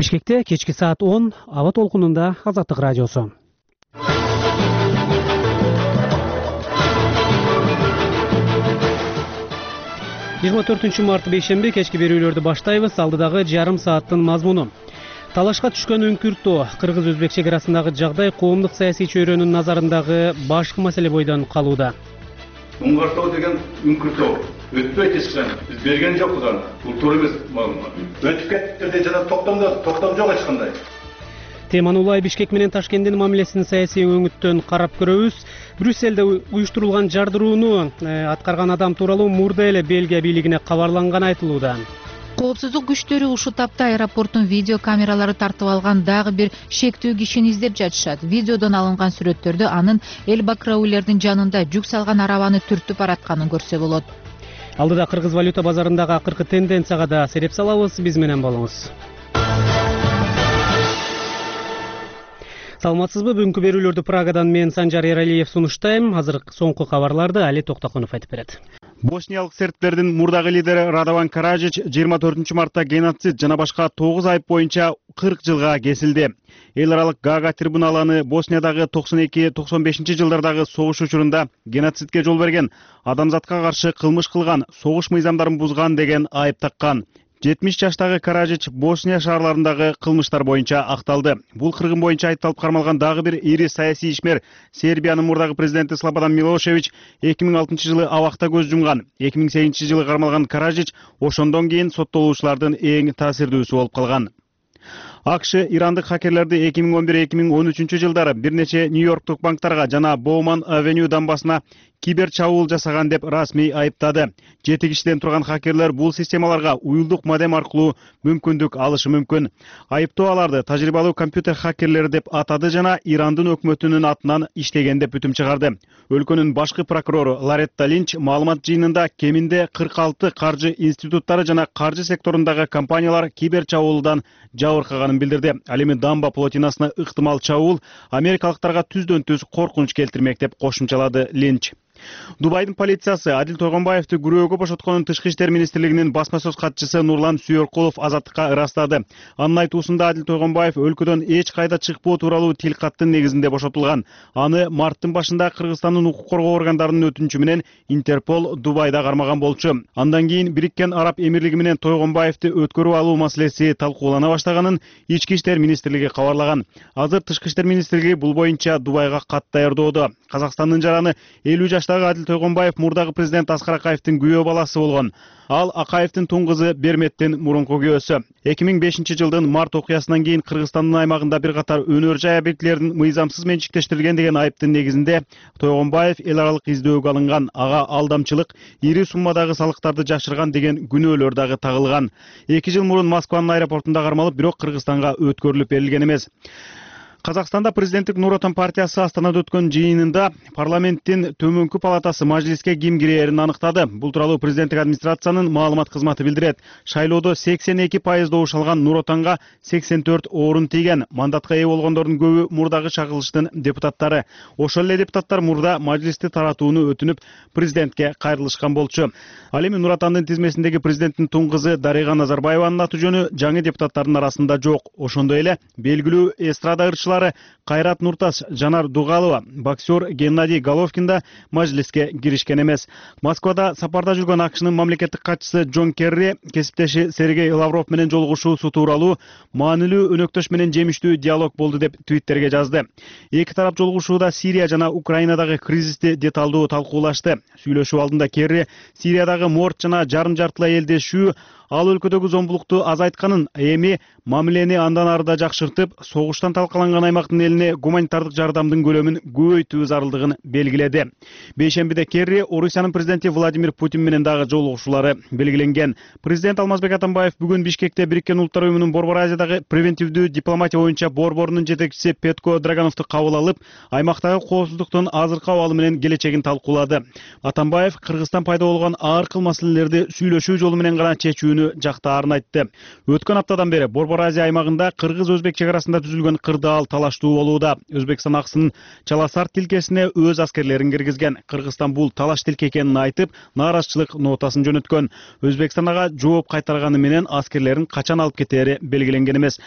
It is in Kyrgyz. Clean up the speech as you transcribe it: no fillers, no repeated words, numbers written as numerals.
Бишкекте кечки саат 10 аба толкунунда Азаттык радиосу. Март бейшемби кечки берүүлөрдү баштайбыз. Алдыдагы жарым сааттын мазмуну. Талашка түшкөн үңкүртөө, кыргыз-өзбек чек арасындагы жагдай коомдук саясий чөйрөнүн назарындагы башкы маселе бойдон калууда. Уңгартоо деген үңкүртөө өтпөйт эчкачан. Биз берген жокпуз аны. Бул туура эмес маалымат. Өтүп кетти деп жана токтом жок эч кандай. Теманы улай Бишкек менен Ташкенттин мамилесин саясий өңүттөн карап көрөбүз. Брюсселде уюштурулган жардырууну аткарган адам тууралуу мурда эле Бельгия бийлигине кабарланганы айтылууда. Коопсуздук күчтөрү ушул тапта аэропорттун видео камералары тартып алган дагы бир шектүү кишини издеп жатышат. Видеодон алынган сүрөттөрдө анын Элбакраулердин жанында жүк салган арабаны түртүп баратканын көрсө болот. Алдыда кыргыз валюта базарындагы акыркы тенденцияга да сереп салабыз. Биз менен болуңуз. Саламатсызбы? Бүгүнкү берүүлөрдү Прагадан мен Санжар Эралиев сунуштайм. Азыр соңку кабарларды Али Токтокунов айтып берет. Босниялык сербтердин мурдагы лидери Радован Каражич 24 мартта геноцид жана башка 9 айып боюнча 40 жылга кесилди. Эл аралык Гага трибуналы аны Босниядагы 92-95 жылдардагы согуш учурунда геноцидке жол берген, адамзатка каршы кылмыш кылган, согуш мыйзамдарын бузган деген айып таккан. 70 жаштагы Каражич Босния шаарларындагы кылмыштар боюнча акталды. Бул кыргын боюнча айыпталып кармалган дагы бир ири саясий ишмер Сербиянын мурдагы президенти Слободан Милошевич 2006 жылы абакта көз жумган. 2008 жылы кармалган Каражич ошондон кийин соттолуучулардын эң таасирдүүсү болуп калган. АКШ ирандык хакерлерди 2011-2013 жылдары бир нече Нью-Йорктук банктарга жана Боуман Авеню дамбасына кибер чабуул жасаган деп расмий айыптады. 7 кишиден турган хакерлер бул системаларга уюлдук модем аркылуу мүмкүндүк алышы мүмкүн. Айыптоо аларды тажрыйбалуу компьютер хакерлери деп атады жана Ирандын өкмөтүнүн атынан иштеген деп бүтүм чыгарды. Өлкөнүн башкы прокурору Лоретта Линч маалымат жыйынында кеминде 46 каржы институттары жана каржы секторундагы компаниялар кибер чабуулдан жабыркаганын билдирди. Ал эми дамба плотинасына ыктымал чабуул америкалыктарга түздөн түз коркунуч келтирмек деп кошумчалады Линч. Дубайдын полициясы Адил Тойгонбаевди күрөөгө бошотконун Тышкы иштер министрлигинин басма сөз катчысы Нурлан Сүйөркулов азаттыкка ырастады. Анын айтуусунда Адил Тойгонбаев өлкөдөн эч кайда чыкпоо тууралуу тил каттын негизинде бошотулган. Аны марттын башында Кыргызстандын укук коргоо органдарынын өтүнүчү менен Интерпол Дубайда кармаган болчу. Андан кийин Бириккен Араб Эмирлиги менен Тойгонбаевди өткөрүп алуу маселеси талкуулана баштаганын Ички иштер министрлиги кабарлаган. Азыр Тышкы иштер министрлиги бул боюнча Дубайга кат даярдоодо. Казакстандын жараны 50 жаштагы Адил Тойгонбаев мурдагы президент Аскар Акаевдин күйөө баласы болгон. Ал Акаевдин тун кызы Берметтин мурунку күйөөсү. 2005 жылдын март окуясынан кийин Кыргызстандын аймагында бир катар өнөр жай объектилерин мыйзамсыз менчиктештирген деген айыптын негизинде Тойгонбаев эл аралык издөөгө алынган. Ага алдамчылык, ири суммадагы салыктарды жашырган деген күнөөлөр дагы тагылган. 2 жыл мурун Москванын аэропортунда кармалып, бирок Кыргызстанга өткөрүлүп берилген эмес. Казакстанда президенттик Нур Отон партиясы Астанада өткөн жыйынында парламенттин төмөнкү палатасы мажлиске ким кирээрин аныктады. Бул тууралуу президенттик администрациянын маалымат кызматы билдирет. Шайлоодо 82% добуш алган Нур Отонго 84 орун тийген. Мандатка ээ болгондордун көбү мурдагы чагылыштын депутаттары. Ошол эле депутаттар мурда мажлисти таратууну өтүнүп, президентке кайрылышкан болчу. Ал эми Нур Отондун тизмесиндеги президенттин тун кызы Дарига Назарбаеванын аты жөнү жаңы депутаттардын арасында жок. Ошондой эле белгилүү эстрада ырчылары Кайрат Нуртас, Жанар Дугалова, боксер Геннадий Головкин да мажлиске киришкен эмес. Москвада сапарда жүргөн АКШнын мамлекеттик катчысы Джон Керри кесиптеши Сергей Лавров менен жолугушуусу тууралуу маанилүү өнөктөш менен жемиштүү диалог болду деп Твиттерге жазды. Эки тарап жолугушууда Сирия жана Украинадагы кризисти деталдуу талкуулашты. Сүйлөшүү алдында Керри Сириядагы морт жана жарым жартылай элдешүү ал өлкөдөгү зомбулукту азайтканын, эми мамилени андан ары да жакшыртып, согуштан талкаланган аймактын элине гуманитардык жардамдын көлөмүн көбөйтүү зарылдыгын белгиледи. Бейшембиде Керри Орусиянын президенти Владимир Путин менен дагы жолугушуулары белгиленген. Президент Алмазбек Атамбаев бүгүн Бишкекте Бириккен Улуттар уюмунун Борбор Азиядагы превентивдүү дипломатия боюнча борборунун жетекчиси Петко Драгановду кабыл алып, аймактагы коопсуздуктун азыркы абалы менен келечегин талкуулады. Атамбаев Кыргызстан пайда болгон ар кыл маселелерди сүйлөшүү жолу менен гана чечүүнү жактаарын айтты. Өткөн аптадан бери Борбор Азия аймагында кыргыз-өзбек чек арасында түзүлгөн кырдаал талаштуу болууда. Өзбекстан аксынын Чаласар тилкесине өз аскерлерин киргизген. Кыргызстан бул талаш тилке экенин айтып, нааразычылык нотасын жөнөткөн. Өзбекстан ага жооп кайтарганы менен аскерлерин качан алып кетери белгиленген эмес.